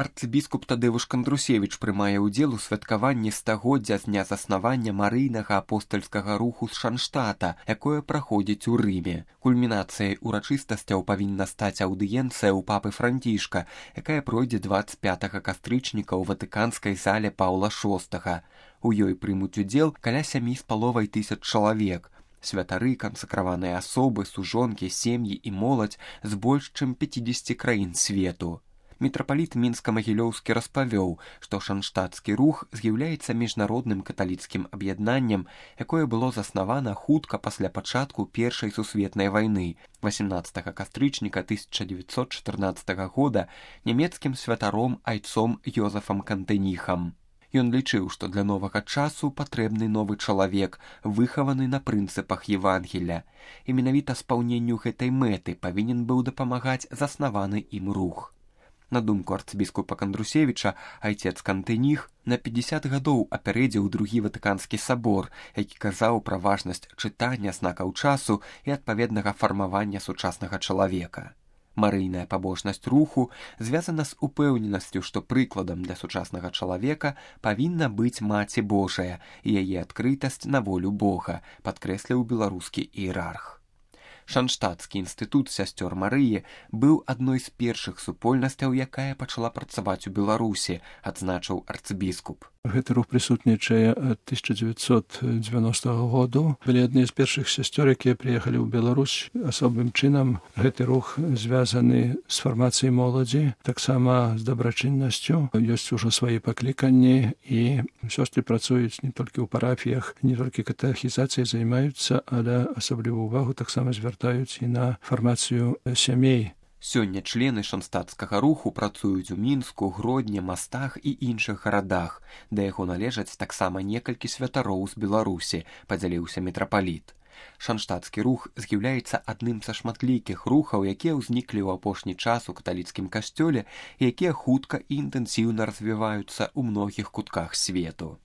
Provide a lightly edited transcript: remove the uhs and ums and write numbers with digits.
арцыбіскуп Тадэвуш Кандрусевіч прымае ўдзел у святкаванні стагоддзя з дня заснавання марыйнага апостальскага руху з Шанштата, якое праходзіць у Рыме. Кульмінацыяй урачыстасцяў павінна стаць аўдыенцыя ў папы Францішка, якая пройдзе 25 кастрычніка ў ватыканскай зале Паўла VI. У ёй прымуць удзел каля 7,5 чалавек. Святары, кансакраваныя асобы, сужонкі, сем'і і моладзь з больш чым 50 краін свету. Мітрапаліт Мінска-Магілёўскі распавёў, што шанштатскі рух з'яўляецца міжнародным каталіцкім аб'яднаннем, якое было заснавана хутка пасля пачатку Першай сусветнай вайны 18 кастрычніка 1914 года нямецкім святаром айцом Йозефам Кантеніхам. Ён лічыў, што для новага часу патрэбны новы чалавек, выхаваны на прынцыпах Евангеля. І менавіта спаўненню гэтай мэты павінен быў дапамагаць заснаваны ім рух. На думку арцыбіскупа Кандрусевіча, айцец Кантэніх на 50 гадоў апярэдзіў другі ватыканскі сабор, які казаў пра важнасць чытання знакаў часу і адпаведнага фармавання сучаснага чалавека. Марыйная пабожнасць руху звязана з упэўненасцю, што прыкладам для сучаснага чалавека павінна быць Маці Божая і яе адкрытасць на волю Бога, падкрэсліў беларускі іерарх. Шанштатскі інстытут сясцёр Марыі быў адной з першых супольнасцяў, якая пачала працаваць у Беларусі, адзначыў арцыбіскуп. Гэты рух прысутнічае ад 1990 году. Былі адны з першых сясцёр, якія прыехалі ў Беларусь. Асобным чынам гэты рух звязаны з фармацыяй моладзі, таксама з дабрачыннасцю. Ёсць ужо свае пакліканні, і сёстры працуюць не толькі ў парафіях, не толькі катэхізацыяй займаюцца, але асаблівую ўвагу таксама звяртаюць і на фармацыю сямей. Сёння члены шанштатскага руху працуюць у Мінску, Гродні, Мастах і іншых гарадах. Да яго належаць таксама некалькі святароў з Беларусі, падзяліўся мітрапаліт. Шанштатскі рух з'яўляецца адным са шматлікіх рухаў, якія ўзніклі ў апошні час у каталіцкім касцёле і якія хутка і інтэнсіўна развіваюцца ў многіх кутках свету.